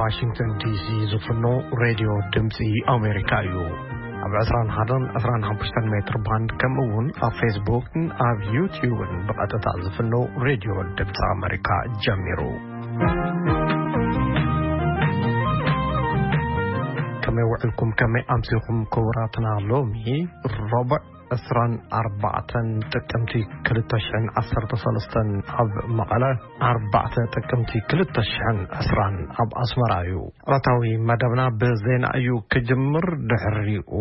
ዋሽንግተን ዲሲ ዝፍኖ ሬድዮ ድምፂ ኣሜሪካ እዩ። ኣብ ዕስራን ሓደን ዕስራን ሓሙሽተን ሜትር ባንድ፣ ከምኡ እውን ኣብ ፌስቡክን ኣብ ዩትዩብን ብቐጥታ ዝፍኖ ሬድዮ ድምፂ ኣሜሪካ ጀሚሩ። ከመይ ውዕልኩም? ከመይ ኣምሲኹም ክቡራትና? ሎሚ ረቡዕ ዕስራን ኣርባዕተን ጥቅምቲ ክልተ ሽሕን ዓሰርተ ሰለስተን ኣብ መቐለ፣ ኣርባዕተ ጥቅምቲ ክልተ ሽሕን ዕስራን ኣብ ኣስመራ እዩ። ዕለታዊ መደብና ብዜና እዩ ክጅምር። ድሕሪኡ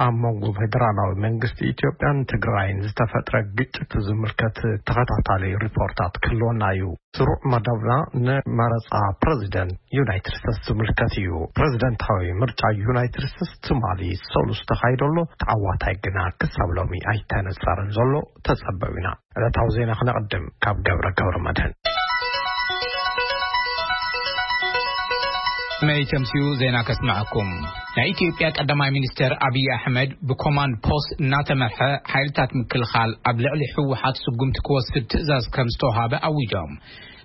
ኣብ መንጎ ፌደራላዊ መንግስቲ ኢትዮጵያን ትግራይን ዝተፈጥረ ግጭት ዝምልከት ተኸታታሊ ሪፖርታት ክህልወና እዩ። ስሩዕ መደብና ንመረጻ ፕረዚደንት ዩናይትድ ስቴትስ ዝምልከት እዩ። ፕረዚደንታዊ ምርጫ ዩናይትድ ስቴትስ ትማሊ ሰሉስ ተኻይዶ ኣሎ። ተዓዋታይ ግና ክሳብ ሎሚ ኣይተነጸረን ዘሎ። ተጸበዩና። ዕለታዊ ዜና ክነቕድም ካብ ገብረ ገብረ መድህን። መይ ተምሲኡ ዜና ከስምዐኩም። ናይ ኢትዮጵያ ቀዳማይ ሚኒስትር ኣብይ ኣሕመድ ብኮማንድ ፖስት እናተመርሐ ሓይልታት ምክልኻል ኣብ ልዕሊ ህወሓት ስጉምቲ ክወስድ ትእዛዝ ከም ዝተውሃበ ኣዊጆም።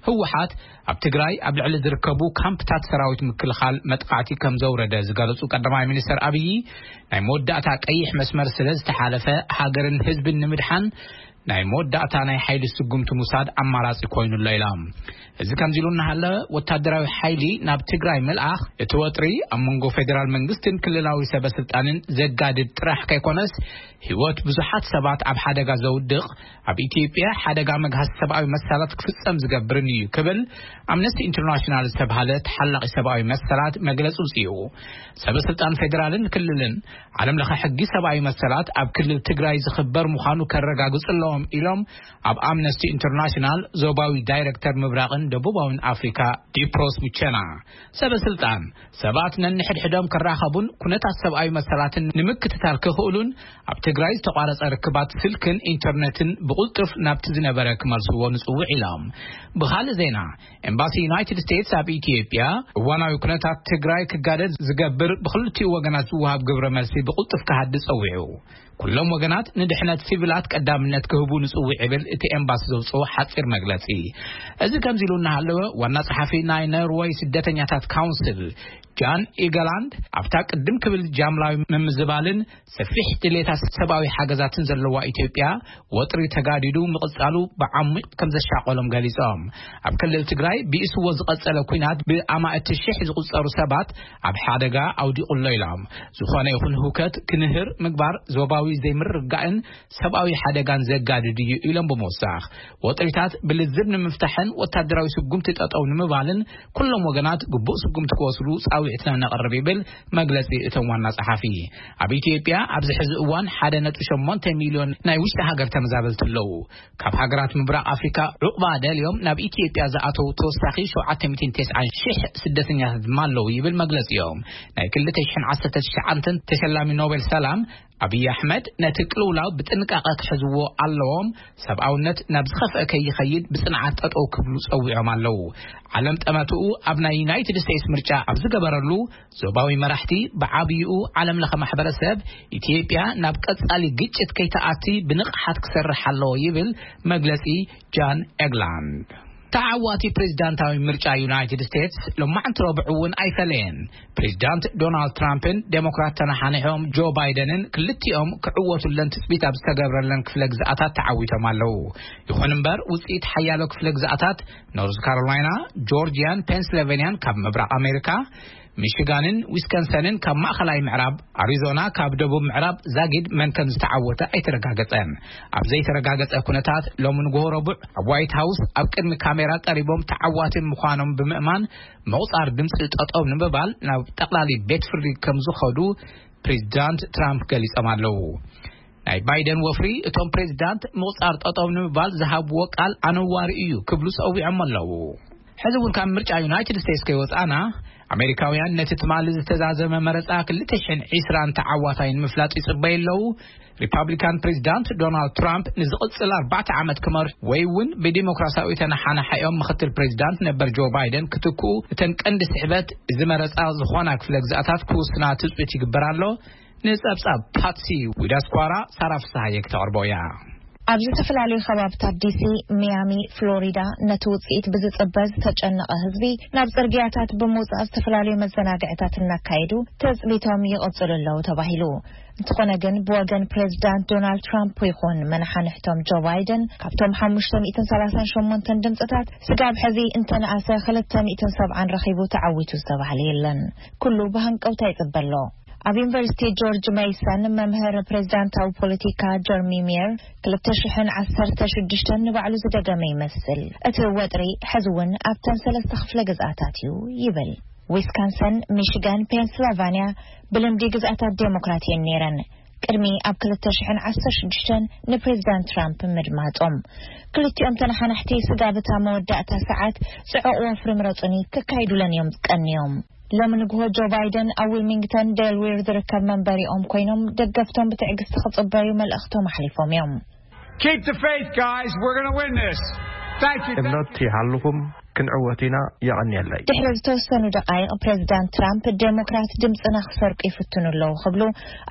ህወሓት ኣብ ትግራይ ኣብ ልዕሊ ዝርከቡ ካምፕታት ሰራዊት ምክልኻል መጥቃዕቲ ከም ዘውረደ ዝገለጹ ቀዳማይ ሚኒስትር ኣብይ፣ ናይ መወዳእታ ቀይሕ መስመር ስለ ዝተሓለፈ፣ ሃገርን ህዝብን ንምድሓን ናይ መወዳእታ ናይ ሓይሊ ስጉምቲ ምውሳድ ኣማራጺ ኮይኑ ኣሎ ኢሎም። እዚ ከምዚ ኢሉ እናሃለ፣ ወታደራዊ ሓይሊ ናብ ትግራይ ምልኣኽ እቲ ወጥሪ ኣብ መንጎ ፌደራል መንግስትን ክልላዊ ሰበ ስልጣንን ዘጋድድ ጥራሕ ከይኮነስ፣ ህይወት ብዙሓት ሰባት ኣብ ሓደጋ ዘውድቕ፣ ኣብ ኢትዮጵያ ሓደጋ መግሃስ ሰብኣዊ መሰላት ክፍጸም ዝገብርን እዩ ክብል ኣምነስቲ ኢንተርናሽናል ዝተባሃለ ተሓላቒ ሰብኣዊ መሰላት መግለጺ ኣውጺኡ። ሰበ ስልጣን ፌደራልን ክልልን ዓለም ለኸ ሕጊ ሰብኣዊ መሰላት ኣብ ክልል ትግራይ ዝኽበር ምዃኑ ከረጋግጹ ኣለዎም ኢሎም ኣብ ኣምነስቲ ኢንተርናሽናል ዞባዊ ዳይሬክተር ምብራቕን ደቡባውን ኣፍሪካ ዲፕሮስ ሙቸና። ሰበ ስልጣን ሰባት ነንሕድሕዶም ክራኸቡን ኩነታት ሰብኣዊ መሰላትን ንምክትታል ክኽእሉን ኣብ ትግራይ ዝተቋረጸ ርክባት ስልክን ኢንተርነትን ብቕልጡፍ ናብቲ ዝነበረ ክመልስዎ ንጽውዕ ኢሎም። ብኻልእ ዜና፣ ኤምባሲ ዩናይትድ ስቴትስ ኣብ ኢትዮጵያ እዋናዊ ኩነታት ትግራይ ክጋደል ዝገብር ብክልቲኡ ወገናት ዝወሃብ ግብረ መልሲ ብቕልጡፍ ክሃድእ ጸዊዑ። ኩሎም ወገናት ንድሕነት ሲቪላት ቀዳምነት ክህቡ ንጽውዕ ይብል እቲ ኤምባሲ ዘውጽኦ ሓጺር መግለጺ። እዚ ከምዚ ኢሉ እናሃለወ፣ ዋና ጸሓፊ ናይ ኖርወይ ስደተኛታት ካውንስል ጃን ኢገላንድ፣ ኣብታ ቅድም ክብል ጃምላዊ ምምዝባልን ሰፊሕ ድሌታት ሰብኣዊ ሓገዛትን ዘለዋ ኢትዮጵያ፣ ወጥሪ ተጋዲዱ ምቕጻሉ ብዓሚቕ ከም ዘሻቐሎም ገሊጾም። ኣብ ክልል ትግራይ ብኢስዎ ዝቐጸለ ኲናት ብኣማእቲ ሽሕ ዝቑጸሩ ሰባት ኣብ ሓደጋ ኣውዲቑ ኣሎ ኢሎም። ዝኾነ ይኹን ህውከት ክንህር ምግባር ዞባዊ ዘይምርግጋእን ሰብኣዊ ሓደጋን ዘጋድድ እዩ ኢሎም ብምውሳኽ፣ ወጥሪታት ብልዝብ ንምፍታሕን ወታደራዊ ስጉምቲ ጠጠው ንምባልን ኩሎም ወገናት ግቡእ ስጉምቲ ክወስዱ ጻውዒትና ነቕርብ ይብል መግለጺ እቶም ዋና ጸሓፊ። ኣብ ኢትዮጵያ ኣብዚ ሕዚ እዋን ሓደ ነጥቢ ሸሞንተ ሚልዮን ናይ ውሽጢ ሃገር ተመዛበልቲ ኣለዉ። ካብ ሃገራት ምብራቕ ኣፍሪካ ዑቕባ ደልዮም ናብ ኢትዮጵያ ዝኣተዉ ተወሳኺ ሸውዓተ ሚእትን ተስዓን ሽሕ ስደተኛታት ድማ ኣለዉ ይብል መግለጺኦም። ናይ ክልተ ሽሕን ዓሰርተ ትሽዓተን ተሸላሚ ኖቤል ሰላም ኣብይ ኣሕመድ፣ ነቲ ቅልውላው ብጥንቃቐ ክሕዝዎ ኣለዎም፣ ሰብኣውነት ናብ ዝኸፍአ ከይኸይድ ብጽንዓት ጠጠው ክብሉ ጸዊዖም ኣለዉ። ዓለም ጠመትኡ ኣብ ናይ ዩናይትድ ስቴትስ ምርጫ ኣብ ዝገበረሉ፣ ዞባዊ መራሕቲ ብዓብይኡ ዓለም ለኸ ማሕበረሰብ ኢትዮጵያ ናብ ቀጻሊ ግጭት ከይተኣቲ ብንቕሓት ክሰርሕ ኣለዎ ይብል መግለጺ ጃን ኤግላንድ። ተዓዋቲ ፕሬዝዳንታዊ ምርጫ ዩናይትድ ስቴትስ ሎማዕንቲ ረቡዕ እውን ኣይፈለየን። ፕሬዝዳንት ዶናልድ ትራምፕን ዴሞክራት ተነሓንሖም ጆ ባይደንን ክልቲኦም ክዕወቱለን ትጽቢት ኣብ ዝተገብረለን ክፍለ ግዝኣታት ተዓዊቶም ኣለዉ። ይኹን እምበር፣ ውጽኢት ሓያሎ ክፍለ ግዝኣታት ኖርዝ ካሮላይና፣ ጆርጂያን ፔንስልቬንያን ካብ ምብራቕ ኣሜሪካ፣ ሚሽጋንን ዊስከንሰንን ካብ ማእኸላይ ምዕራብ፣ ኣሪዞና ካብ ደቡብ ምዕራብ ዛጊድ መን ከም ዝተዓወተ ኣይተረጋገጸን። ኣብ ዘይተረጋገጸ ኩነታት፣ ሎሚ ንግሆ ረቡዕ ኣብ ዋይት ሃውስ ኣብ ቅድሚ ካሜራ ቀሪቦም ተዓዋቲ ምዃኖም ብምእማን፣ ምቑጻር ድምጺ ጠጠው ንምባል ናብ ጠቕላሊ ቤት ፍርዲ ከም ዝኸዱ ፕሬዚዳንት ትራምፕ ገሊጾም ኣለዉ። ናይ ባይደን ወፍሪ፣ እቶም ፕሬዚዳንት ምቑጻር ጠጠው ንምባል ዝሃብዎ ቃል ኣነዋሪ እዩ ክብሉ ጸዊዖም ኣለዉ። ሕዚ እውን ካብ ምርጫ ዩናይትድ ስቴትስ ከይወጻና፣ ኣሜሪካውያን ነቲ ትማሊ ዝተዛዘመ መረጻ ክልተ ሽሕን ዕስራን ተዓዋታይ ንምፍላጥ ይጽበዩ ኣለዉ። ሪፓብሊካን ፕሬዚዳንት ዶናልድ ትራምፕ ንዝቕጽል ኣርባዕተ ዓመት ክመርሑ ወይ እውን ብዲሞክራሲያዊ ተነሓናሓዮም ምኽትል ፕሬዚዳንት ነበር ጆ ባይደን ክትክኡ፣ እተን ቀንዲ ስሕበት እዚ መረጻ ዝኾና ክፍለ ግዝኣታት ክውስና ትጽቢት ይግበር ኣሎ። ንጸብጻብ ፓትሲ ዊዳስኳራ ሳራ ፍስሃየ ክተቕርቦ እያ። ኣብ ዝተፈላለዩ ከባብታት ዲሲ፣ ሚያሚ፣ ፍሎሪዳ፣ ነቲ ውጽኢት ብዝጽበ ዝተጨነቐ ህዝቢ ናብ ጽርግያታት ብምውጻእ ዝተፈላለዩ መዘናግዕታት እናካየዱ ትጽቢቶም ይቕጽሉ ኣለዉ ተባሂሉ። እንተኾነ ግን፣ ብወገን ፕሬዚዳንት ዶናልድ ትራምፕ ይኹን መናሓንሕቶም ጆ ባይደን፣ ካብቶም ሓሙሽተ ሚእትን ሰላሳን ሸሞንተን ድምፅታት ስጋብ ሕዚ እንተነኣሰ ክልተ ሚእትን ሰብዓን ረኺቡ ተዓዊቱ ዝተባህለ የለን። ኩሉ ብሃንቀውታ ይጽበ ኣሎ። ኣብ ዩኒቨርሲቲ ጆርጅ ሜይሰን መምህር ፕሬዚዳንታዊ ፖለቲካ ጀርሚ ሚየር፣ ክልተ ሽሕን ዓሰርተ ሽዱሽተን ንባዕሉ ዝደገመ ይመስል። እቲ ወጥሪ ሕዚ እውን ኣብተን ሰለስተ ክፍለ ግዝኣታት እዩ ይብል። ዊስካንሰን፣ ሚሽጋን፣ ፔንስልቫንያ ብልምዲ ግዝኣታት ዴሞክራት እየን ነይረን፣ ቅድሚ ኣብ ክልተ ሽሕን ዓሰርተ ሽዱሽተን ንፕሬዚዳንት ትራምፕ ምድማጾም። ክልቲኦም ተነሓናሕቲ ስጋብ እታ መወዳእታ ሰዓት ጽዑቕ ወፍሪ ምረጹኒ ክካይዱለን እዮም ቀንዮም። ሎሚ ንግሆ ጆ ባይደን ኣብ ዊልሚንግተን ዴልዊር ዝርከብ መንበሪኦም ኮይኖም ደገፍቶም ብትዕግስቲ ክጽበዩ መልእኽቶም ኣሕሊፎም እዮም። Keep the faith, guys. We're going to win this. Thank you. እምነት ይሃልኹም፣ ክንዕወት ኢና። የቐንየለይ። ድሕሪ ዝተወሰኑ ደቃይቕ ፕሬዚዳንት ትራምፕ ዴሞክራት ድምፅና ክሰርቁ ይፍትኑ ኣለዉ ክብሉ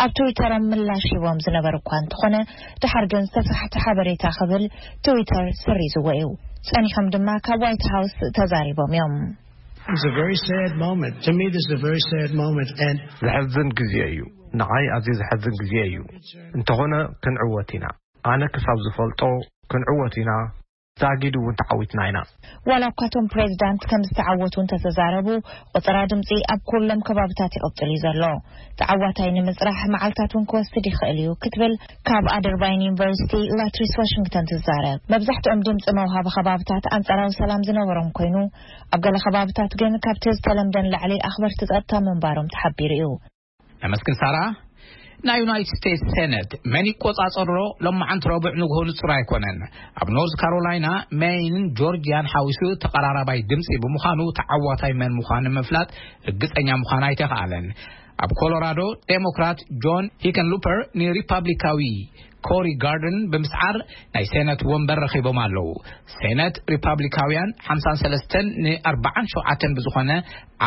ኣብ ትዊተሮም ምላሽ ሂቦም ዝነበሩ እኳ እንተኾነ፣ ድሓር ግን ዝተሳሕተ ሓበሬታ ክብል ትዊተር ሰሪዝዎ እዩ። ጸኒሖም ድማ ካብ ዋይት ሃውስ ተዛሪቦም እዮም። It's a very sad moment. To me, this is a very sad moment. And ዘሕዝን ግዜ እዩ። ንዓይ ኣዝዩ ዘሕዝን ግዜ እዩ። እንተኾነ ክንዕወት ኢና። ኣነ ክሳብ ዝፈልጦ ክንዕወት ኢና። ዛጊድ እውን ተዓዊትና ኢና። ዋላ እኳ እቶም ፕሬዚዳንት ከም ዝተዓወቱ እንተተዛረቡ፣ ቆጸራ ድምጺ ኣብ ኩሎም ከባብታት ይቕጽል እዩ ዘሎ። ተዓዋታይ ንምጽራሕ መዓልታት እውን ክወስድ ይኽእል እዩ ክትብል ካብ ኣደርባይን ዩኒቨርሲቲ ላትሪስ ዋሽንግተን ትዛረብ። መብዛሕትኦም ድምጺ መውሃቢ ከባብታት ኣንጻራዊ ሰላም ዝነበሮም ኮይኑ፣ ኣብ ገለ ከባብታት ግን ካብቲ ዝተለምደ ንላዕሊ ኣኽበርቲ ጸጥታ ምንባሮም ተሓቢሩ እዩ። ነመስግን ሳራ። ናይ ዩናይትድ ስቴትስ ሴነት መን ይቆጻጸሮ ሎማዓንቲ ረቡዕ ንግሆ ንጹር ኣይኮነን። ኣብ ኖርዝ ካሮላይና፣ ሜይንን ጆርጂያን ሓዊሱ ተቐራራባይ ድምጺ ብምዃኑ፣ ተዓዋታይ መን ምዃኑ ንምፍላጥ ርግጸኛ ምዃን ኣይተኻእለን። ኣብ ኮሎራዶ፣ ዴሞክራት ጆን ሂከንሉፐር ንሪፓብሊካዊ ኮሪ ጋርደን ብምስዓር ናይ ሴነት ወንበር ረኺቦም ኣለዉ። ሴነት ሪፓብሊካውያን ሓምሳን ሰለስተን ንኣርባዓን ሸውዓተን ብዝኾነ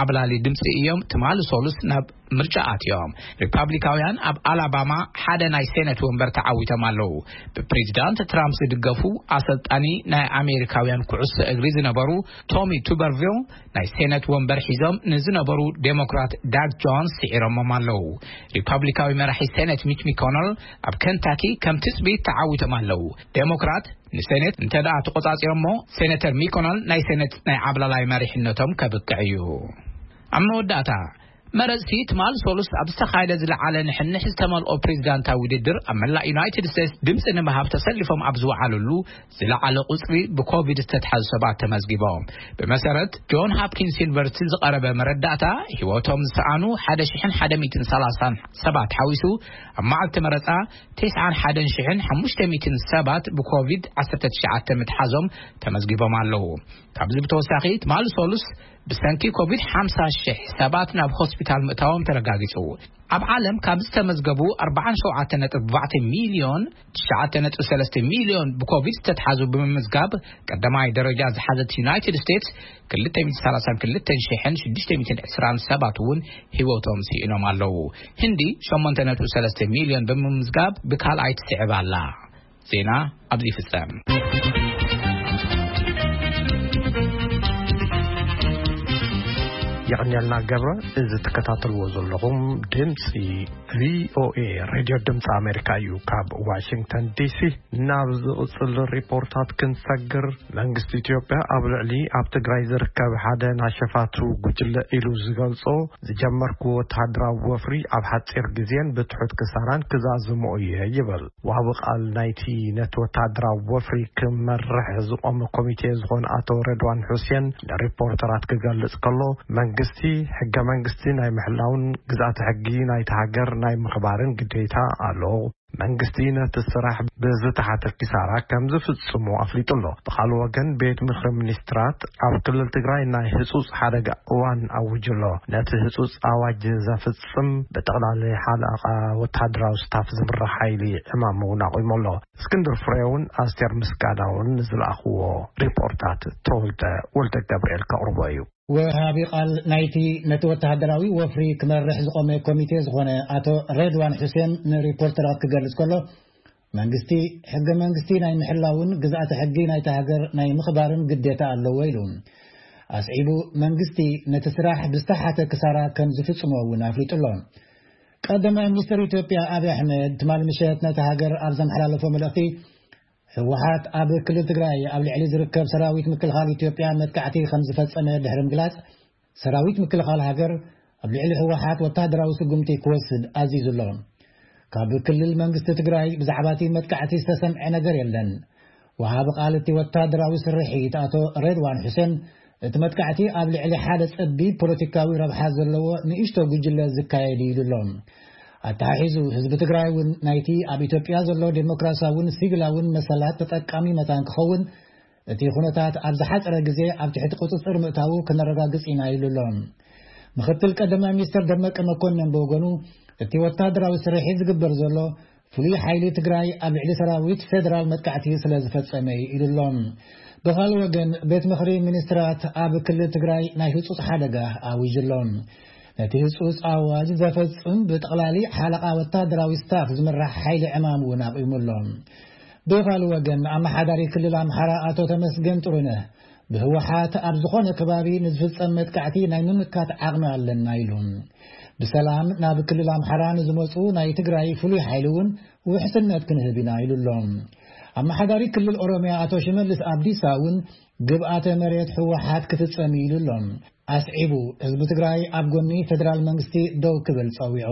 ዓብላሊ ድምፂ እዮም ትማሊ ሶሉስ ናብ ምርጫ ኣትዮም። ሪፓብሊካውያን ኣብ ኣላባማ ሓደ ናይ ሴነት ወንበር ተዓዊቶም ኣለዉ። ብፕሬዚዳንት ትራምፕ ዝድገፉ ኣሰልጣኒ ናይ ኣሜሪካውያን ኩዕሶ እግሪ ዝነበሩ ቶሚ ቱበርቪል ናይ ሴነት ወንበር ሒዞም ንዝነበሩ ዴሞክራት ዳግ ጆንስ ስዒሮሞም ኣለዉ። ሪፓብሊካዊ መራሒ ሴነት ሚች ሚኮነል ኣብ ከንታኪ ከም ትጽቢት ተዓዊቶም ኣለዉ። ዴሞክራት ንሴኔት እንተ ደኣ ተቖጻጺሮሞ፣ ሴኔተር ሚኮነል ናይ ሴኔት ናይ ዓብላላይ መሪሕነቶም ከብቅዕ እዩ። ኣብ መወዳእታ፣ መረጽቲ ትማል ሶሉስ ኣብ ዝተኻየደ ዝለዓለ ንሕንሕ ዝተመልኦ ፕሬዚዳንታዊ ውድድር ኣብ መላእ ዩናይትድ ስቴትስ ድምጺ ንምሃብ ተሰሊፎም ኣብ ዝወዓሉሉ ዝለዓለ ቁጽሪ ብኮቪድ ዝተትሓዙ ሰባት ተመዝጊቦም። ብመሰረት ጆን ሃፕኪንስ ዩኒቨርሲቲ ዝቐረበ መረዳእታ፣ ህይወቶም ዝሰኣኑ ሓደ ሽሕን ሓደ ሚእትን ሰላሳን ሰባት ሓዊሱ፣ ኣብ መዓልቲ መረጻ ተስዓን ሓደን ሽሕን ሓሙሽተ ሚእትን ሰባት ብኮቪድ ዓሰርተ ትሽዓተ ምትሓዞም ተመዝጊቦም ኣለዉ። ካብዚ ብተወሳኺ፣ ትማሊ ሶሉስ ብሰንኪ ኮቪድ ሓምሳ ሽሕ ሰባት ናብ ሆስፒታል ምእታዎም ተረጋጊጹ። ኣብ ዓለም ካብ ዝተመዝገቡ ኣርባዓን ሸውዓተን ነጥቢ ኣርባዕተ ሚልዮን፣ ትሽዓተ ነጥቢ ሰለስተ ሚልዮን ብኮቪድ ዝተትሓዙ ብምምዝጋብ፣ ቀዳማይ ደረጃ ዝሓዘት ዩናይትድ ስቴትስ፣ ክልተ ሚእቲ ሰላሳን ክልተን ሽሕን ሽዱሽተ ሚእትን ዕስራን ሰባት እውን ህይወቶም ስኢኖም ኣለዉ። ህንዲ ሸሞንተ ነጥቢ ሰለስተ ሚልዮን ብምምዝጋብ ብካልኣይ ትስዕብ ኣላ። ዜና ኣብዚ ይፍጸም። የቐንየልና ገብረ። እዚ ትከታተልዎ ዘለኹም ድምፂ ቪኦኤ ሬድዮ ድምፂ ኣሜሪካ እዩ። ካብ ዋሽንግተን ዲሲ ናብ ዝቕጽል ሪፖርታት ክንሰግር፣ መንግስቲ ኢትዮጵያ ኣብ ልዕሊ ኣብ ትግራይ ዝርከብ ሓደ ናይ ሸፋቱ ጉጅለ ኢሉ ዝገልጾ ዝጀመርኩ ወተሃደራዊ ወፍሪ ኣብ ሓጺር ግዜን ብትሑት ክሳራን ክዛዝሞ እየ ይብል። ወሃቢ ቃል ናይቲ ነቲ ወተሃደራዊ ወፍሪ ክመርሕ ዝቖመ ኮሚቴ ዝኾነ ኣቶ ረድዋን ሑሴን ንሪፖርተራት ክገልጽ ከሎ፣ መንግስቲ ሕገ መንግስቲ ናይ ምሕላውን ግዝኣተ ሕጊ ናይቲ ሃገር ናይ ምኽባርን ግዴታ ኣለዎ። መንግስቲ ነቲ ስራሕ ብዝተሓተ ኪሳራ ከም ዝፍጽሞ ኣፍሊጡ ኣሎ። ብኻልእ ወገን፣ ቤት ምኽሪ ሚኒስትራት ኣብ ክልል ትግራይ ናይ ህጹጽ ሓደጋ እዋን ኣዊጁ ኣሎ። ነቲ ህጹጽ ኣዋጅ ዘፍጽም ብጠቕላሊ ሓለቓ ወተሃደራዊ ስታፍ ዝምራሕ ሓይሊ ዕማም እውን ኣቑሙ ኣሎ። እስክንድር ፍሬውን ኣስቴር ምስጋናውን ንዝለኣኽዎ ሪፖርታት ተወልደ ወልደ ገብርኤል ከቕርቦ እዩ። ወሃቢ ቃል ናይቲ ነቲ ወተሃደራዊ ወፍሪ ክመርሕ ዝቖመ ኮሚቴ ዝኾነ ኣቶ ሬድዋን ሑሴን ንሪፖርተራት ክገልጽ ከሎ፣ መንግስቲ ሕገ መንግስቲ ናይ ምሕላውን ግዝኣተ ሕጊ ናይታ ሃገር ናይ ምኽባርን ግዴታ ኣለዎ ኢሉ። ኣስዒቡ፣ መንግስቲ ነቲ ስራሕ ብዝተሓተ ክሳራ ከም ዝፍጽሞ እውን ኣፍሊጡ ኣሎ። ቀዳማይ ሚኒስትር ኢትዮጵያ ኣብይ ኣሕመድ ትማሊ ምሸት ነቲ ሃገር ኣብ ዘመሓላለፎ መልእኽቲ፣ ህወሓት ኣብ ክልል ትግራይ ኣብ ልዕሊ ዝርከብ ሰራዊት ምክልኻል ኢትዮጵያ መጥቃዕቲ ከም ዝፈጸመ ድሕሪ ምግላጽ፣ ሰራዊት ምክልኻል ሃገር ኣብ ልዕሊ ህወሓት ወታደራዊ ስጉምቲ ክወስድ ኣዚዙ ኣሎ። ካብ ክልል መንግስቲ ትግራይ ብዛዕባ እቲ መጥቃዕቲ ዝተሰምዐ ነገር የለን። ወሃቢ ቃል እቲ ወታደራዊ ስርሒት ኣቶ ሬድዋን ሑሴን፣ እቲ መጥቃዕቲ ኣብ ልዕሊ ሓደ ጸቢብ ፖለቲካዊ ረብሓ ዘለዎ ንእሽቶ ጉጅለ ዝካየድ እዩ ኢሉ ኣሎ። ኣተሓሒዙ፣ ህዝቢ ትግራይ እውን ናይቲ ኣብ ኢትዮጵያ ዘሎ ዴሞክራሲያውን ሲቪላውን መሰላት ተጠቃሚ መታን ክኸውን፣ እቲ ኩነታት ኣብ ዝሓጸረ ግዜ ኣብ ትሕቲ ቁጽጽር ምእታዉ ክነረጋግጽ ኢና ኢሉ ኣሎ። ምኽትል ቀዳማይ ሚኒስትር ደመቀ መኮንን ብወገኑ፣ እቲ ወታደራዊ ስርሒት ዝግበር ዘሎ ፍሉይ ሓይሊ ትግራይ ኣብ ልዕሊ ሰራዊት ፌደራል መጥቃዕቲ ስለ ዝፈጸመ እዩ ኢሉ ኣሎ። ብኻልእ ወገን፣ ቤት ምኽሪ ሚኒስትራት ኣብ ክልል ትግራይ ናይ ህጹጽ ሓደጋ ኣዊጁ ኣሎ። ነቲ ህጹጽ ኣዋጅ ዘፈጽም ብጠቕላሊ ሓለቓ ወታደራዊ ስታፍ ዝምራሕ ሓይሊ ዕማም እውን ኣቕይሙ ኣሎ። ብኻልእ ወገን፣ ኣመሓዳሪ ክልል ኣምሓራ ኣቶ ተመስገን ጥሩነህ፣ ብህወሓት ኣብ ዝኾነ ከባቢ ንዝፍጸም መጥቃዕቲ ናይ ምምካት ዓቕሚ ኣለና ኢሉ። ብሰላም ናብ ክልል ኣምሓራ ንዝመጹ ናይ ትግራይ ፍሉይ ሓይሊ እውን ውሕስነት ክንህብ ኢና ኢሉ ኣሎ። ኣመሓዳሪ ክልል ኦሮሚያ ኣቶ ሽመልስ ኣብዲሳ እውን ግብኣተ መሬት ህወሓት ክፍጸም ኢሉ ኣሎ። ኣስዒቡ፣ ህዝቢ ትግራይ ኣብ ጎኒ ፌደራል መንግስቲ ደው ክብል ጸዊዑ።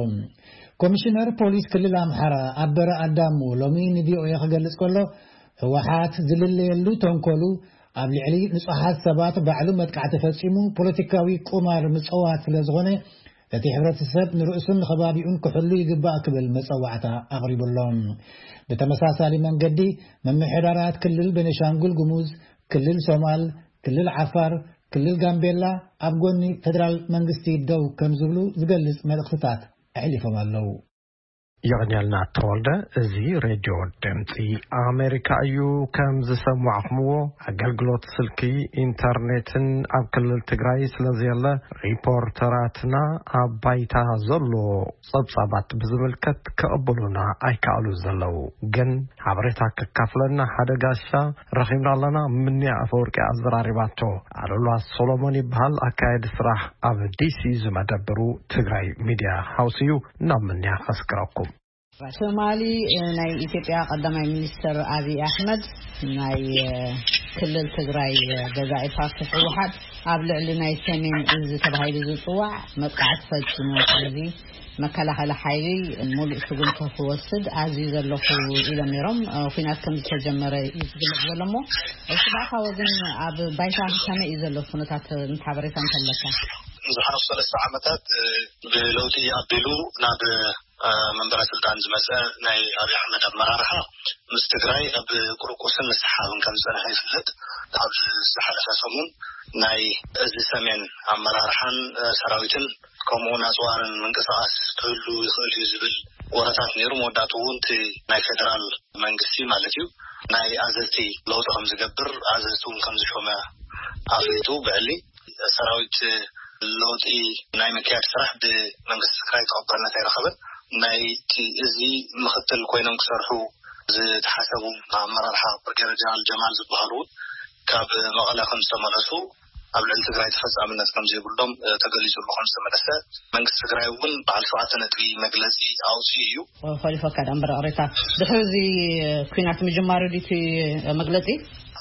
ኮሚሽነር ፖሊስ ክልል ኣምሓራ ኣበረ ኣዳሙ ሎሚ ንቪኦኤ ክገልጽ ከሎ፣ ህወሓት ዝልለየሉ ተንኮሉ ኣብ ልዕሊ ንጹሃት ሰባት ባዕሉ መጥቃዕቲ ፈጺሙ ፖለቲካዊ ቁማር ምጽዋት ስለ ዝኾነ፣ እቲ ሕብረተሰብ ንርእሱን ንኸባቢኡን ክሕሉ ይግባእ ክብል መጸዋዕታ ኣቕሪቡ ኣሎ። ብተመሳሳሊ መንገዲ፣ ምምሕዳራት ክልል ቤኒሻንጉል ጉሙዝ፣ ክልል ሶማል፣ ክልል ዓፋር፣ ክልል ጋምቤላ ኣብ ጎኒ ፌደራል መንግስቲ ደው ከም ዝብሉ ዝገልጽ መልእኽትታት ኣሕሊፎም ኣለዉ። የቕንየልና ተወልደ። እዚ ሬድዮ ድምፂ ኣሜሪካ እዩ። ከም ዝሰማዕኹምዎ፣ ኣገልግሎት ስልኪ፣ ኢንተርኔትን ኣብ ክልል ትግራይ ስለ ዘየለ፣ ሪፖርተራትና ኣብ ባይታ ዘሎ ጸብጻባት ብዝምልከት ክቕበሉና ኣይከኣሉ ዘለዉ። ግን ሓበሬታ ከካፍለና ሓደ ጋሻ ረኺብና ኣለና። ምንያ ኣፈወርቂ ኣዘራሪባቶ። ኣሉላ ሶሎሞን ይበሃል፣ ኣካየዲ ስራሕ ኣብ ዲሲ ዝመደብሩ ትግራይ ሚድያ ሃውስ እዩ። ናብ ምንያ ከስክረኩም። ትማሊ፣ እ፣ ናይ ኢትዮጵያ ቀዳማይ ሚኒስትር ኣብይ ኣሕመድ፣ ናይ፣ እ፣ ክልል ትግራይ፣ እ፣ ገዛኢ ፓርቲ ህወሓት ኣብ ልዕሊ ናይ ሰሜን እዝ ተባሂሉ ዝጽዋዕ መጥቃዕቲ ፈጺሙ። ስለዚ መከላኸሊ ሓይሊ ሙሉእ ስጉምቲ ክወስድ ኣዝዩ ዘለኹ ኢሎም ነይሮም። እ፣ ኲናት ከም ዝተጀመረ እዩ ዝግለጽ ዘሎ እሞ፣ እስኻ ወገን ኣብ ባይታ ከመይ እዩ ዘሎ ኩነታት፣ እ፣ ሓበሬታ እንተለካ? ዝሓለፉ ሰለስተ ዓመታት፣ እ፣ ብለውጢ ኣቢሉ ናብ፣ እ፣ መንበረ ስልጣን ዝመጸ ናይ ኣብይ ኣሕመድ ኣመራርሓ ምስ ትግራይ ኣብ ቁርቁስን ምስሓብን ከም ዝጸንሐ ይፍለጥ። ኣብ ዝሓለፈ ሰሙን ናይ እዚ ሰሜን ኣመራርሓን፣ እ፣ ሰራዊትን ከምኡ እውን ኣጽዋርን ምንቅስቓስ ክህሉ ይኽእል እዩ ዝብል ወረታት ነይሩ። መወዳእትኡ እውን እቲ ናይ ፌደራል መንግስቲ ማለት እዩ ናይ ኣዘዝቲ ለውጢ ከም ዝገብር፣ ኣዘዝቲ እውን ከም ዝሾመ ኣፍሊጡ። ብዕሊ ሰራዊት ለውጢ ናይ ምክያድ ስራሕ ብመንግስቲ ትግራይ ተቐባልነት ኣይረኸበን። ናይቲ እዚ ምኽትል ኮይኖም ክሰርሑ ዝተሓሰቡ ኣመራርሓ ብርጌደር ጀነራል ጀማል ዝበሃሉ እውን ካብ መቐለ ከም ዝተመለሱ፣ ኣብ ልዕሊ ትግራይ ተፈጻምነት ከም ዘይብሎም፣ እ፣ ተገሊጹሉ ከም ዝተመለሰ፣ መንግስቲ ትግራይ እውን በዓል ሸውዓተ ነጥቢ መግለጺ ኣውጺኡ እዩ። እ፣ ኾሊፎካ ደኣ እምበር፣ ቅሬታ፣ ድሕሪ እዚ ኲናት ምጅማሩ ድዩ እቲ መግለጺ?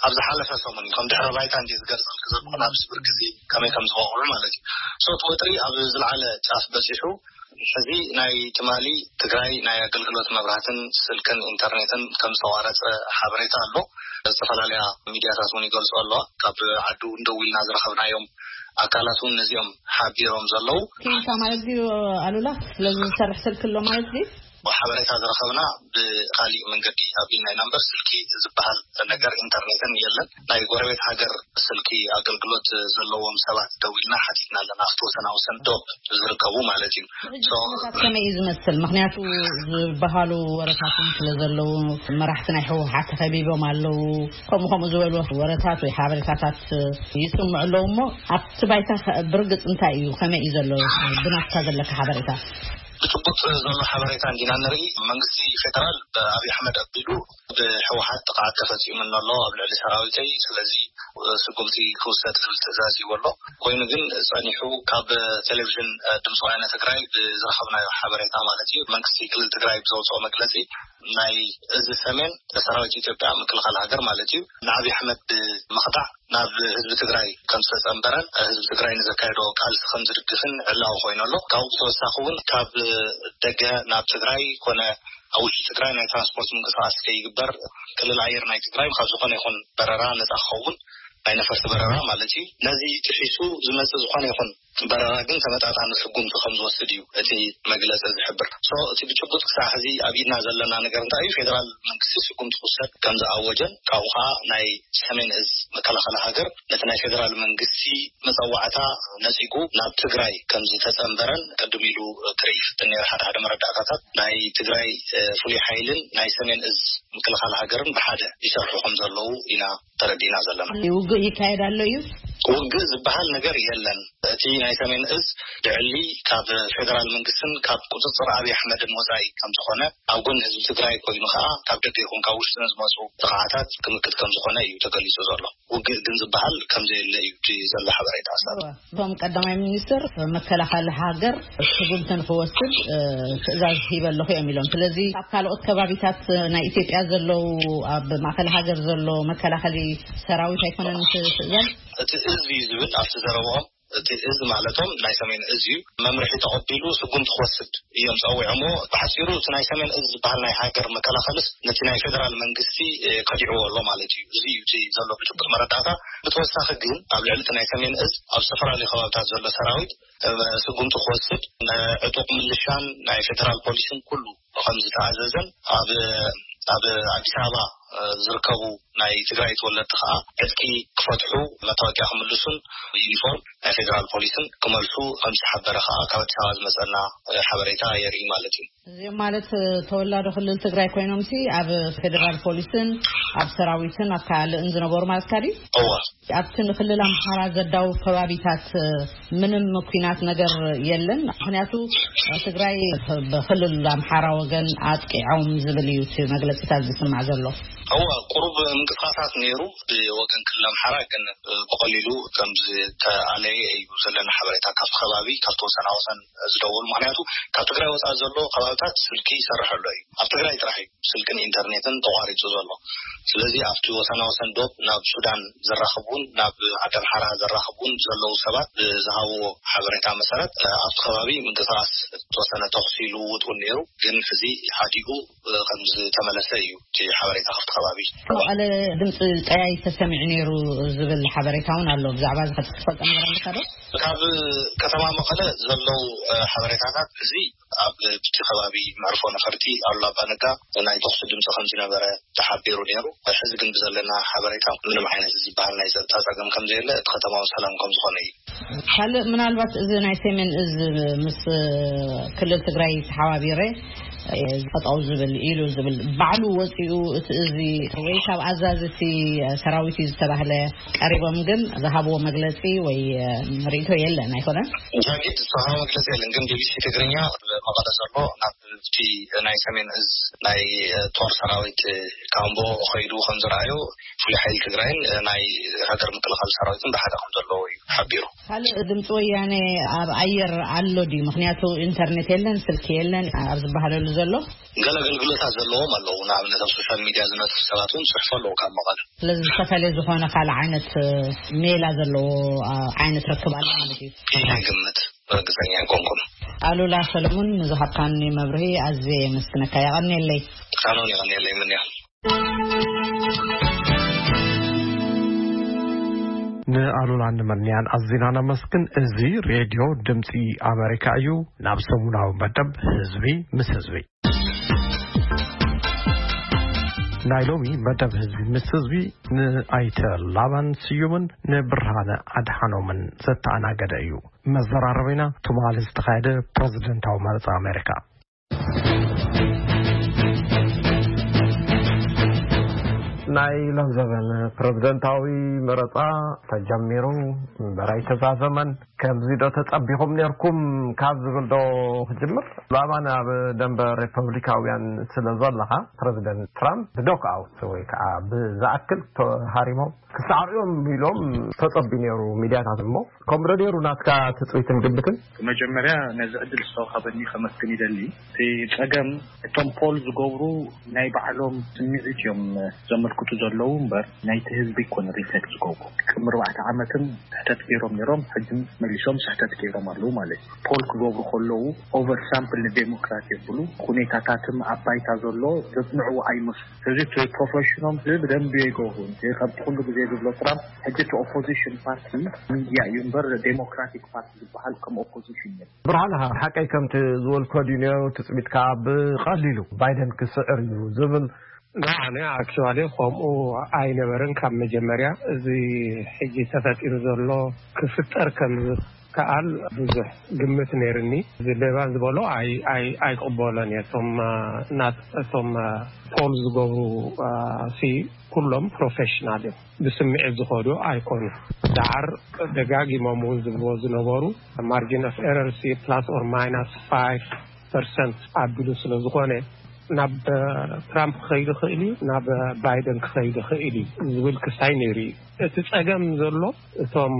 ኣብ ዝሓለፈ ሰሙን እዩ። ከም ድሕረ ባይታ እንዲ ዝገልጸልክ ዘለኹ፣ ናብ ስብር ግዜ ከመይ ከም ዝበቕዑ ማለት እዩ። ሶ፣ እቲ ወጥሪ ኣብ ዝለዓለ ጫፍ በጺሑ፣ ሕዚ ናይ ትማሊ ትግራይ ናይ ኣገልግሎት መብራህትን ስልክን ኢንተርኔትን ከም ዝተቋረጸ ሓበሬታ ኣሎ። ዝተፈላለያ ሚድያታት እውን ይገልጾ ኣለዋ። ካብ ዓዲ እውን ደው ኢልና ዝረኸብናዮም ኣካላት እውን ነዚኦም ሓቢሮም ዘለዉ። ክኢልካ ማለት ድዩ ኣሉላ? ስለዚ ዝሰርሕ ስልኪ ኣሎ ማለት ድዩ? ሓበሬታ ዝረኸብና ብካሊእ መንገዲ ኣቢልና ኢና እምበር፣ ስልኪ ዝበሃል ነገር ኢንተርኔትን የለን። ናይ ጎረቤት ሃገር ስልኪ ኣገልግሎት ዘለዎም ሰባት ደዊልና ሓቲትና ኣለና፣ ኣብቲ ወሰናውሰን ዶብ ዝርከቡ ማለት እዩ። ሕጂ ሶ፣ ኩነታት ከመይ እዩ ዝመስል? ምኽንያቱ ዝበሃሉ ወረታት እውን ስለ ዘለዉ፣ መራሕቲ ናይ ህወሓት ተኸቢቦም ኣለዉ፣ ከምኡ ከምኡ ዝበሉ ወረታት ወይ ሓበሬታታት ይስምዑ ኣለዉ። እሞ ኣብቲ ባይታ ከ ብርግጽ እንታይ እዩ? ከመይ እዩ ዘሎ ብናትካ ዘለካ ሓበሬታ? ብጭቡጥ ዘሎ ሓበሬታ እንዲና ንርኢ። መንግስቲ ፌደራል ብኣብይ ኣሕመድ ኣቢሉ ብህወሓት ጥቕዓት ተፈፂሙኒ ኣሎ ኣብ ልዕሊ ሰራዊተይ፣ ስለዚ ስጉምቲ ክውሰድ ዝብል ትእዛዝ ይዎ ኣሎ። ኮይኑ ግን ጸኒሑ ካብ ቴሌቪዥን ድምፂ ወያነ ትግራይ ብዝረኸብናዮ ሓበሬታ ማለት እዩ፣ መንግስቲ ክልል ትግራይ ብዘውፅኦ መግለፂ ናይ እዚ ሰሜን ሰራዊት ኢትዮጵያ ምክልኻል ሃገር ማለት እዩ ንኣብይ ኣሕመድ ብምኽዳዕ ናብ ህዝቢ ትግራይ ከም ዝተጸንበረን ህዝቢ ትግራይ ንዘካየዶ ቃልሲ ከም ዝድግፍን ዕላዊ ኮይኑ ኣሎ። ካብኡ ብተወሳኺ እውን ካብ ደገ ናብ ትግራይ ኮነ ኣብ ውሽጢ ትግራይ ናይ ትራንስፖርት ምንቅስቃስ ከይግበር፣ ክልል ኣየር ናይ ትግራይ ካብ ዝኾነ ይኹን በረራ ነጻ ክኸውን፣ ናይ ነፈርቲ በረራ ማለት እዩ። ነዚ ጥሒሱ ዝመጽእ ዝኾነ ይኹን በረራ ግን ተመጣጣኒ ስጉምቲ ከም ዝወስድ እዩ እቲ መግለጺ ዝሕብር። So እቲ ብጭቡጥ ክሳዕ ሕዚ ኣብ ኢድና ዘለና ነገር እንታይ እዩ? ፌደራል መንግስቲ ስጉምቲ ክውሰድ ከም ዝኣወጀን ካብኡ ከዓ ናይ ሰሜን እዝ መከላኸሊ ሃገር ነቲ ናይ ፌደራል መንግስቲ መጸዋዕታ ነጺጉ ናብ ትግራይ ከም ዝተጸንበረን ቅድም ኢሉ ክርኢ ይፍትን ነይሩ። ሓደ ሓደ መረዳእታታት ናይ ትግራይ ፍሉይ ሓይልን ናይ ሰሜን እዝ ምክልኻል ሃገርን ብሓደ ይሰርሑ ከም ዘለዉ ኢና ተረዲና ዘለና። ውግእ ይካየድ ኣሎ እዩ። ውግእ ዝበሃል ነገር የለን። እቲ ናይ ሰሜን እዝ ልዕሊ ካብ ፌደራል መንግስትን ካብ ቁፅፅር ኣብይ ኣሕመድን ወፃኢ ከም ዝኾነ፣ ኣብ ጎኒ ህዝቢ ትግራይ ኮይኑ ከዓ ካብ ደገ ይኹን ካብ ውሽጢ ንዝመፁ ጥቕዓታት ክምክት ከም ዝኾነ እዩ ተገሊፁ ዘሎ። ውግእ ግን ዝበሃል ከም ዘየለ እዩ እቲ ዘሎ ሓበሬታ። ኣሳብ እቶም ቀዳማይ ሚኒስትር መከላኸሊ ሃገር ስጉምቲ ንክወስድ ትእዛዝ ሂበ ኣለኹ እዮም ኢሎም። ስለዚ ኣብ ካልኦት ከባቢታት ናይ ኢትዮጵያ ዘለዉ ኣብ ማእከል ሃገር ዘሎ መከላኸሊ ሰራዊት ኣይኮነን እቲ ትእዛዝ? እቲ እዝ እዩ ዝብል ኣብቲ ዘረብኦም፣ እቲ እዝ ማለቶም ናይ ሰሜን እዝ እዩ፣ መምርሒ ተቐቢሉ ስጉምቲ ክወስድ እዮም ጸዊዖሞ። ብሓጺሩ እቲ ናይ ሰሜን እዝ ዝበሃል ናይ ሃገር መከላኸልስ ነቲ ናይ ፌደራል መንግስቲ ከዲዕዎ ኣሎ ማለት እዩ። እዚ እዩ እቲ ዘሎ ብጭቡጥ መረዳእታ። ብተወሳኺ ግን ኣብ ልዕሊ እቲ ናይ ሰሜን እዝ ኣብ ዝተፈላለዩ ከባብታት ዘሎ ሰራዊት ስጉምቲ ክወስድ፣ ንዕጡቕ ምልሻን ናይ ፌደራል ፖሊስን ኩሉ ከም ዝተኣዘዘን ኣብ ኣብ ኣዲስ ኣበባ ዝርከቡ ናይ ትግራይ ተወለድቲ ከዓ ዕጥቂ ክፈትሑ፣ መታወቂያ ክምልሱን ዩኒፎርም ናይ ፌደራል ፖሊስን ክመልሱ ከም ዝተሓበረ ከዓ ካብ ኣዲስ ኣበባ ዝመፀና ሓበሬታ የርኢ ማለት እዩ። እዚኦም ማለት ተወላዶ ክልል ትግራይ ኮይኖምሲ ኣብ ፌደራል ፖሊስን ኣብ ሰራዊትን ኣብ ካልእን ዝነበሩ ማለትካ ድዩ? እወ። ኣብቲ ንክልል ኣምሓራ ዘዳውብ ከባቢታት ምንም ኩናት ነገር የለን። ምክንያቱ ትግራይ ብክልል ኣምሓራ ወገን ኣጥቂዖም ዝብል እዩ እቲ መግለፂታት ዝስማዕ ዘሎ። እወ፣ ቁሩብ ምንቅስቃሳት ነይሩ ብወገን ክልል ኣምሓራ፣ ግን ብቐሊሉ ከም ዝተኣለየ እዩ ዘለና ሓበሬታ ካብቲ ከባቢ፣ ካብቲ ወሰና ወሰን ዝደውሉ። ምክንያቱ ካብ ትግራይ ወፃኢ ዘሎ ከባብታት ስልኪ ይሰርሕ ኣሎ እዩ። ኣብ ትግራይ ጥራሕ እዩ ስልክን ኢንተርኔትን ተቋሪፁ ዘሎ። ስለዚ ኣብቲ ወሰና ወሰን ዶብ ናብ ሱዳን ዘራኽቡን ናብ ዓዲ ኣምሓራ ዘራኽቡን ዘለዉ ሰባት ብዝሃብዎ ሓበሬታ መሰረት፣ ኣብቲ ከባቢ ምንቅስቃስ ዝተወሰነ ተኹሲ ልውውጥ እውን ነይሩ፣ ግን ሕዚ ሓዲኡ ከም ዝተመለሰ እዩ እቲ ሓበሬታ ካብቲ ከባቢ። መቐለ ድምፂ ጠያይ ተሰሚዑ ነይሩ ዝብል ሓበሬታ እውን ኣሎ። ብዛዕባ እዚ ክትፈልጦ ነገር ኣለካ ዶ? ካብ ከተማ መቐለ ዘለዉ ሓበሬታታት እዚ ኣብ እቲ ከባቢ መዕርፎ ነፈርቲ ኣሉላ ኣባነጋ ናይ ተኹሲ ድምፂ ከም ዝነበረ ተሓቢሩ ነይሩ። ሕዚ ግን ብዘለና ሓበሬታ ምንም ዓይነት ዝበሃል ናይ ፀጥታ ፀገም ከም ዘየለ፣ እቲ ከተማ እውን ሰላም ከም ዝኾነ እዩ። ካልእ ምናልባት እዚ ናይ ሰሜን እዝ ምስ ክልል ትግራይ ተሓባቢረ ጠጠው ዝብል ኢሉ ዝብል ባዕሉ ወፂኡ እቲ እዚ ወይ ካብ ኣዛዚ እቲ ሰራዊት እዩ ዝተባህለ ቀሪቦም ግን ዝሃብዎ መግለፂ ወይ ርእይቶ የለን ኣይኮነን? ዛጊድ ዝተዋሃበ መግለፂ የለን፣ ግን ቢቢሲ ትግርኛ መቐለ ዘሎ ናብ እቲ ናይ ሰሜን እዝ ናይ ጦር ሰራዊት ካምቦ ከይዱ ከም ዝረኣዩ፣ ፍሉይ ሓይሊ ትግራይን ናይ ሃገር ምክልኻል ሰራዊትን ብሓደ ከም ዘለዉ እዩ ሓቢሩ። ካልእ ድምፂ ወያነ ኣብ ኣየር ኣሎ ድዩ? ምክንያቱ ኢንተርኔት የለን፣ ስልኪ የለን ኣብ ዝበሃለሉ ዘሎ። ገለ ኣገልግሎታት ዘለዎም ኣለዉ። ንኣብነት ኣብ ሶሻል ሚድያ ዝነጥፉ ሰባት እውን ይፅሕፉ ኣለዉ ካብ መቐለ። ስለዚ ዝተፈለየ ዝኾነ ካልእ ዓይነት ሜላ ዘለዎ ዓይነት ርክብ ኣሎ ማለት እዩ? ኢለ ግምት ርግፀኛ ኣይኮንኩን። ኣሉላ ሰለሙን ንዝሃብካኒ መብርሂ ኣዝየ የመስግነካ። የቐንየለይ። ኣነ እውን የቐንየለይ ምንያ። ንኣሉላን ንመንያን ኣዚና ነመስግን። እዚ ሬድዮ ድምፂ ኣሜሪካ እዩ። ናብ ሰሙናዊ መደብ ህዝቢ ምስ ህዝቢ። ናይ ሎሚ መደብ ህዝቢ ምስ ህዝቢ ንኣይተ ላባን ስዩምን ንብርሃነ ኣድሓኖምን ዘተኣናገደ እዩ። መዘራረቢና ትማሊ ዝተኻየደ ፕረዚደንታዊ መረፃ ኣሜሪካ። ናይ ሎም ዘበን ፕረዚደንታዊ መረፃ ተጀሚሩ እምበር ኣይተዛዘመን። ከምዚ ዶ ተጸቢኹም ነርኩም ካብ ዝብል ዶ ክጅምር? ብኣማን ኣብ ደንበ ሪፐብሊካውያን ስለ ዘለኻ፣ ፕረዚደንት ትራምፕ ብዶክ ኣውት ወይ ከዓ ብዝኣክል ተሃሪሞም ክሳዕርዮም ኢሎም ተጸቢ ነይሩ ሚድያታት። እሞ ከምኡ ዶ ነይሩ ናትካ ትጽቢትን ግምትን? መጀመርያ ነዚ ዕድል ዝተዋሃበኒ ከመስግን ይደሊ። እቲ ጸገም እቶም ፖል ዝገብሩ ናይ ባዕሎም ስምዒት እዮም ዘመልክቱ ዘለዉ እምበር ናይቲ ህዝቢ ኣይኮነ ሪፍሌክት ዝገብሩ። ቅድሚ ኣርባዕተ ዓመትን ስሕተት ገይሮም ነይሮም፣ ሕጂ መሊሶም ስሕተት ገይሮም ኣለዉ ማለት እዩ። ፖል ክገብሩ ከለዉ ኦቨር ሳምፕል ንዴሞክራት የብሉ፣ ኩኔታታትም ኣብ ባይታ ዘሎ ዘጽንዕዎ ኣይመስሉ። ስለዚ እቲ ፕሮፌሽኖም እዚ ብደንቢ ይገብሩ። እዚ ከምቲ ኩሉ ግዜ ዝብሎ ትራምፕ ሕጂ እቲ ኦፖዚሽን ፓርቲ ሚድያ እዩ እምበር ዴሞክራቲክ ፓርቲ ዝበሃል ከም ኦፖዚሽን የለን። ብርሃን፣ ሓቀይ ከምቲ ዝበልኮ ድዩ ነይሩ ትጽቢትካ ብቐሊሉ ባይደን ክስዕር እዩ ዝብል? ንዓነ ኣክቹዋሊ ከምኡ ኣይነበርን ካብ መጀመርያ። እዚ ሕጂ ተፈጢሩ ዘሎ ክፍጠር ከም ዝከኣል ብዙሕ ግምት ነይርኒ። እዚ ሌባ ዝበሎ ኣይ- ኣይ- ኣይቅበሎን እየ። እቶም አ፣ ናት- እቶም አ፣ ፖል ዝገብሩ አ፣ ሲ ኩሎም ፕሮፌሽናል እዮም። ብስምዒት ዝኸዱ ኣይኮኑ። ዳዓር ደጋጊሞም እውን ዝብልዎ ዝነበሩ ማርጂን ኦፍ ኤረር ሲ ፕላስ ኦር ማይናስ ፋይቭ ፐርሰንት ኣቢሉ ስለ ዝኾነ ናብ ትራምፕ ክኸይድ ይኽእል እዩ፣ ናብ ባይደን ክኸይድ ይኽእል እዩ ዝብል ክሳይ ነይሩ እዩ። እቲ ጸገም ዘሎ እቶም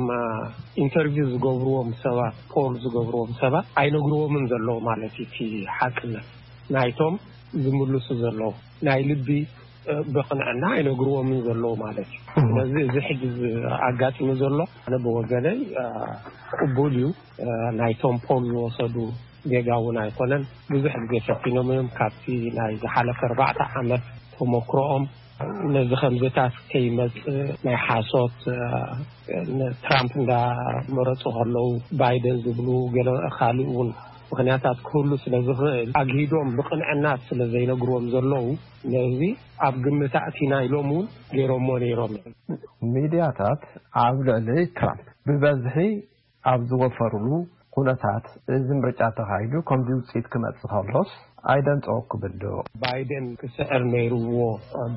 ኢንተርቪው ዝገብርዎም ሰባት፣ ፖል ዝገብርዎም ሰባት ኣይነግርዎምን ዘለዉ ማለት እዩ። እቲ ሓቅነት ናይቶም ዝምልሱ ዘለዉ ናይ ልቢ ብቕንዕና ኣይነግርዎምን ዘለዉ ማለት እዩ። ስለዚ እዚ ሕጂ ኣጋጢሙ ዘሎ ኣነ ብወገነይ ቅቡል እዩ። ናይቶም ፖል ዝወሰዱ ጌጋ እውን ኣይኮነን። ብዙሕ ግዜ ፈቲኖም እዮም። ካብቲ ናይ ዝሓለፈ ኣርባዕተ ዓመት ተመክሮኦም ነዚ ከምዚታት ከይመጽእ ናይ ሓሶት ትራምፕ እንዳመረጹ ከለዉ ባይደን ዝብሉ ገለ ካልእ እውን ምኽንያታት ክህሉ ስለ ዝኽእል ኣግሂዶም ብቕንዕና ስለ ዘይነግርዎም ዘለዉ ነዚ ኣብ ግምት ኣእቲና ኢሎም እውን ገይሮሞ ነይሮም እዮም። ሚድያታት ኣብ ልዕሊ ትራምፕ ብበዝሒ ኣብ ዝወፈሩሉ ኩነታት፣ እዚ ምርጫ ተኻይዱ ከምዚ ውፅኢት ክመፅእ ከሎስ ኣይደንፀወኩምን ዶ? ባይደን ክስዕር ነይርዎ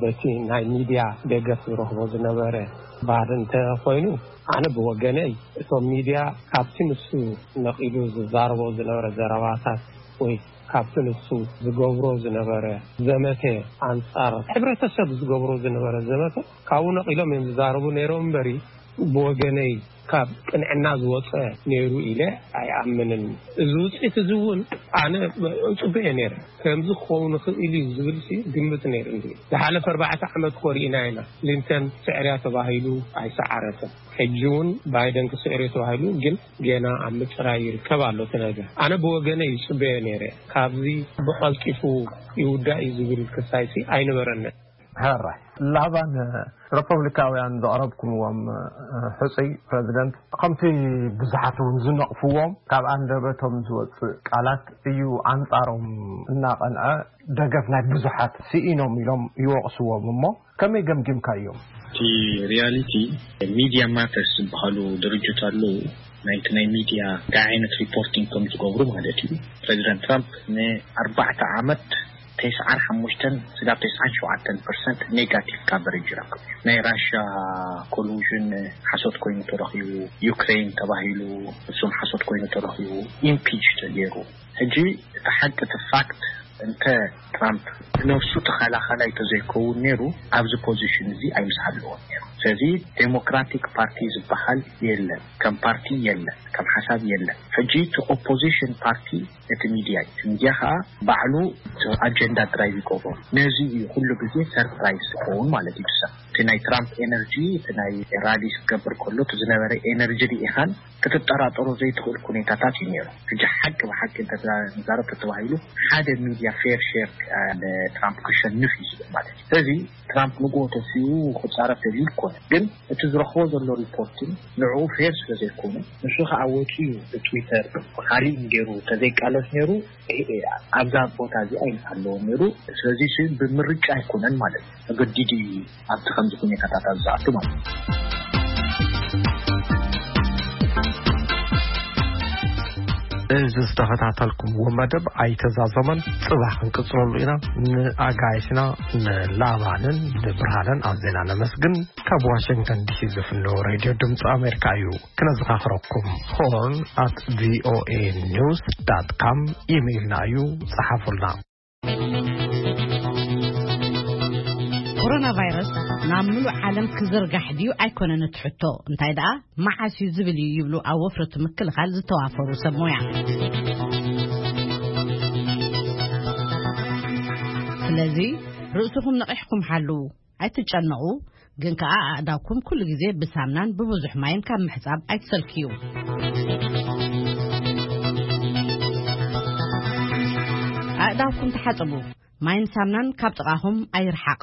በቲ ናይ ሚድያ ደገፍ ዝረኽቦ ዝነበረ ባህሪ እንተኾይኑ፣ ኣነ ብወገነይ እቶም ሚድያ ካብቲ ንሱ ነቒሉ ዝዛረቦ ዝነበረ ዘረባታት ወይ ካብቲ ንሱ ዝገብሮ ዝነበረ ዘመተ ኣንጻር ሕብረተሰብ ዝገብሮ ዝነበረ ዘመተ ካብኡ ነቒሎም እዮም ዝዛረቡ ነይሮም እምበሪ፣ ብወገነይ ካብ ቅንዕና ዝወጸ ነይሩ ኢለ ኣይኣምንን። እዚ ውጽኢት እዚ እውን ኣነ እጽበዮ ነይረ። ከምዚ ክኸውን ይኽእል እዩ ዝብል ሲ ግምት ነይሩ እንዲ። ዝሓለፈ ኣርባዕተ ዓመት እኮ ርኢና ኢና። ክሊንተን ስዕርያ ተባሂሉ ኣይሰዓረትን። ሕጂ እውን ባይደን ክስዕር እዩ ተባሂሉ ግን ገና ኣብ ምጽራይ ይርከብ ኣሎ እቲ ነገር። ኣነ ብወገነይ ይጽበዮ ነይረ። ካብዚ ብቐልጢፉ ይውዳእ እዩ ዝብል ክሳይሲ ኣይነበረንን። ሕራይ ላባን ሪፐብሊካውያን ዘቕረብኩምዎም ሕጹይ ፕረዚደንት ከምቲ ብዙሓት እውን ዝነቕፍዎም ካብ ኣንደበቶም ዝወጽእ ቃላት እዩ ኣንጻሮም እናቐንዐ ደገፍ ናይ ብዙሓት ስኢኖም ኢሎም ይወቕስዎም እሞ ከመይ ገምጊምካዮም? እቲ ሪያሊቲ ሚድያ ማተርስ ዝበሃሉ ድርጅት ኣለዉ። ናይቲ ናይ ሚድያ እንታይ ዓይነት ሪፖርቲንግ ከም ዝገብሩ ማለት እዩ። ፕረዚደንት ትራምፕ ንኣርባዕተ ዓመት ተስዓን ሓሙሽተን ስጋብ ተስዓን ሸውዓተን ፐርሰንት ኔጋቲቭ ካቨሬጅ ይረክብ። ናይ ራሽያ ኮሉዥን ሓሶት ኮይኑ ተረኺቡ፣ ዩክሬን ተባሂሉ እሱም ሓሶት ኮይኑ ተረኺቡ፣ ኢምፒች ተገይሩ። ሕጂ እቲ ሓቂ እቲ ፋክት እንተ ትራምፕ ነብሱ ተኸላኸላይ ተዘይከውን ነይሩ ኣብዚ ፖዚሽን እዚ ኣይምስሃለዎን ነይሩ። ስለዚ ዴሞክራቲክ ፓርቲ ዝበሃል የለን፣ ከም ፓርቲ የለን፣ ከም ሓሳብ የለን። ሕጂ እቲ ኦፖዚሽን ፓርቲ እቲ ሚድያ እዩ። እቲ ሚድያ ከዓ ባዕሉ ኣጀንዳ ድራይቭ ይገብሮ። ነዚ እዩ ኩሉ ግዜ ሰርፕራይዝ ዝኸውን ማለት እዩ። ሰብ እቲ ናይ ትራምፕ ኤነርጂ እቲ ናይ ራሊ ክገብር ከሎ እቲ ዝነበረ ኤነርጂ ርኢኻን ክትጠራጠሮ ዘይትኽእል ኩኔታታት እዩ ነይሩ። ሕጂ ሓቂ ብሓቂ እንተተዛረብ ተተባሂሉ ሓደ ሚድያ ፌር ሼር ንትራምፕ ክሸንፍ እዩ ዝብል ማለት እዩ። ስለዚ ትራምፕ ንግሆ ተሲኡ ክፃረፍ ደልዩ ይኮነ፣ ግን እቲ ዝረኽቦ ዘሎ ሪፖርትን ንዕኡ ፌር ስለ ዘይኮነ ንሱ ከዓ ወፂኡ ብትዊተር ብካሊእ ገይሩ ተዘይቃለስ ነይሩ ኣብዛ ቦታ እዚኣ ይምሓለዎ ነይሩ። ስለዚ ሲ ብምርጫ ኣይኮነን ማለት እዩ፣ ተገዲዱ እዩ ኣብቲ ከምዚ ኩኔታታት ኣብ ዝኣቱ ማለት እዩ። ዝተኸታተልኩምዎ መደብ ኣይተዛዘመን። ጽባሕ ክንቅጽለሉ ኢና። ንኣጋይሽና ንላባንን ንብርሃንን ኣዝና ነመስግን። ካብ ዋሽንግተን ዲሲ ዝፍኖ ሬድዮ ድምፂ ኣሜሪካ እዩ። ክነዘኻኽረኩም፣ ሆርን ኣት ቪኦኤ ኒውስ ዳት ካም ኢሜይልና እዩ። ጸሓፉልና። ኮሮና ቫይረስ ናብ ምሉእ ዓለም ክዝርጋሕ ድዩ ኣይኮነን እቲ ሕቶ፣ እንታይ ደኣ መዓስ እዩ ዝብል እዩ ይብሉ ኣብ ወፍሪ እቲ ምክልኻል ዝተዋፈሩ ሰብ ሞያ። ስለዚ ርእስኹም ነቒሕኩም ሓልዉ፣ ኣይትጨነቑ፣ ግን ከኣ ኣእዳውኩም ኩሉ ግዜ ብሳምናን ብብዙሕ ማይን ካብ ምሕጻብ ኣይትሰልክዩ። ኣእዳውኩም ተሓጸቡ። ማይን ሳምናን ካብ ጥቓኹም ኣይርሓቕ።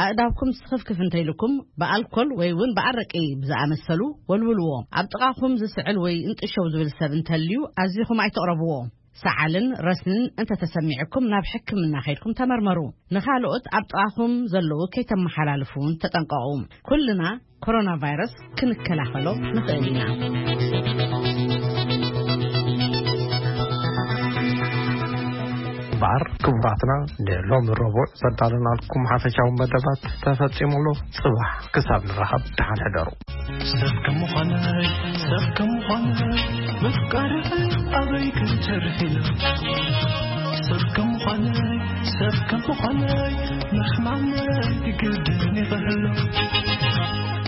ኣእዳውኩም ስኽፍክፍ እንተኢልኩም ብኣልኮል ወይ እውን ብኣረቂ ብዝኣመሰሉ ወልውልዎ። ኣብ ጥቓኹም ዝስዕል ወይ እንጥሸው ዝብል ሰብ እንተልዩ ኣዚኹም ኣይትቕረብዎ። ሰዓልን ረስንን እንተተሰሚዕኩም ናብ ሕክምና ከይድኩም ተመርመሩ። ንኻልኦት ኣብ ጥቓኹም ዘለዉ ከይተመሓላልፉ እውን ተጠንቀቑ። ኩልና ኮሮና ቫይረስ ክንከላኸሎ ንኽእል ኢና። እምበኣር ክቡራትና፣ ንሎሚ ረቡዕ ዘዳለናልኩም ሓፈሻዊ መደባት ተፈጺሙ ኣሎ። ጽባሕ ክሳብ ንራኸብ ደሓን ሕደሩ። ሰብ ከም ምዃነይ፣ ሰብ ከም ምዃነይ፣ ምፍቃር ኣበይ ክተርፍ ኢሉ። ሰብ ከም ምዃነይ፣ ሰብ ከም ምዃነይ፣ ምሕማመይ ግድን ይኽህሉ።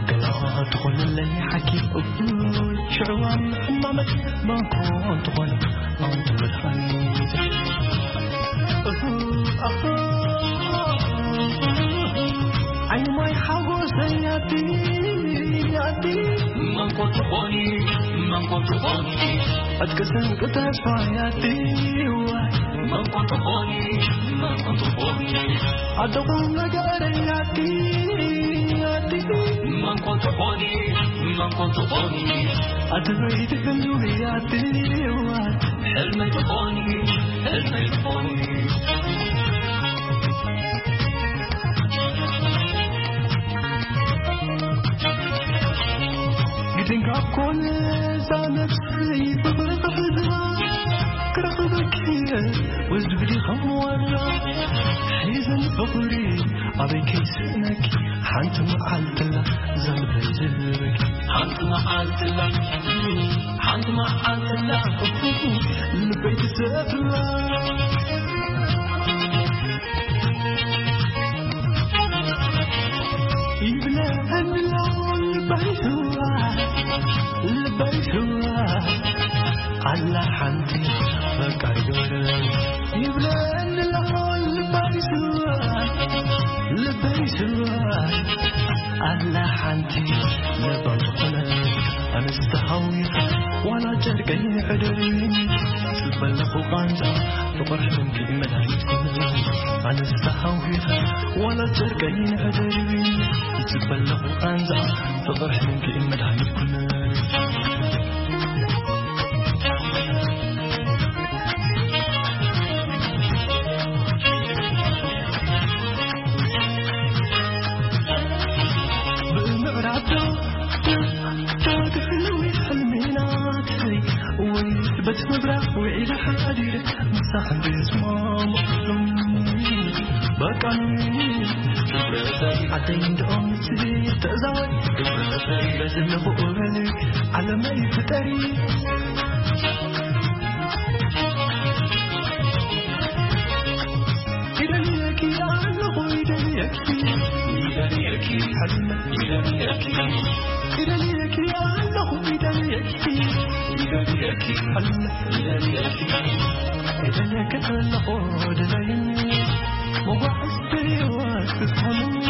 ገና ትኾነለይ ሓኪም እኩል ሽዕዋን ሕማመይ መንኮ እንተኾነ ኣንቱ መድሓኒት። ዓይኒ ማይ ሓጎሰይ ኣቲ፣ ኣቲ መንኮ ትኾኒ፣ መንኮ ትኾኒ። ዕጥቂ ስንቂ ተስፋ ኣቲ፣ መንኮ ትኾኒ፣ መንኮ ትኾኒ። ኣደኹም ነገረይ ኣቲ፣ ኣቲ መንኮ ትኾኒ፣ መንኮ ትኾኒ። ኣቲ በይቲ ክንዱ ኣቲ፣ ሕልመይ ትኾኒ፣ ሕልመይ ትኾኒ። ግድን ካብ ኮነ እዛ ነፍሰይ ፍቕሪ ክሕዛ ክረኽበኪ ወዝብዲ ከም ወራ ሒዘን ፍቕሪ ኣበይ ከይስእነኪ ሓንቲ መዓልትላ ዘልበይ ዝብለኪ ሓንቲ መዓልትላ ሓንቲ መዓልትላ ልበይ ትሰፍላ ይብለኒ ኣሎ ልበይ ስዋ፣ ልበይ ስዋ። ኣላ ሓንቲ ፈቃሪ ገብረ ይብለኒ ኣሎ ልበይ ስዋ፣ ልበይ ስዋ። ኣላ ሓንቲ ለባም ዝኾነ ኣነስ ተሃዊኸ ዋላ ጨርቀይ ሕደሪ ጽበለኹ ቃንዛ ፍቕር ሕልምኪ መድሃኒት ኩነ ኣነስ ተሃዊኸ ዋላ ጨርቀይ ሕደሪ ጽበለኹ ቃንዛ ፍቕር ሕልምኪ መድሃኒት ኩነ። ብምዕራብ ዳግሕልዊ ሕልሚ ናተይ ወይ በቲ ምብራቕ ውዒለ ሓዲረ ምሳኽ እንድስማም በቃ ዓደይ እንደኦም ንስሊ ተዛወር በዝለኹ እበሊ ዓለመይ ፍጠሪ ይደልየኪ ኣለኹ ይደልየኪ ይደልየኪ ሕልመ ይደልየኪ ይደልየኪ ኣለኹ ይደልየኪ ይደልየኪ ሕልመ ይደልየኪ ይደልየኪ ኣለኹ ድለይኒ መጓዕዝቲ ህይወት ክትኮንኒ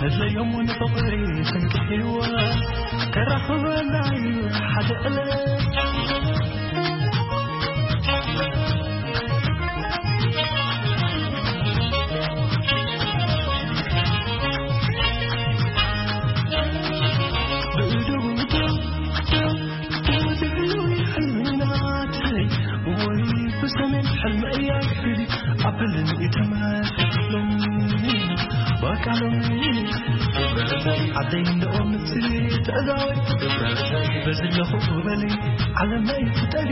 እድለዮም ንፍቕሪ ስንቂ ህይወት ከራኽበና እዩ ሓደ ዕለት ብሰሜን ሕልመያ ክፍሊ ኣበልን ይትመት ሎሚ በቃ ሎሚ ዓደይ እንደኦም ትእዛወይ በዝለኹ በሊ ዓለመይ ፍጠሪ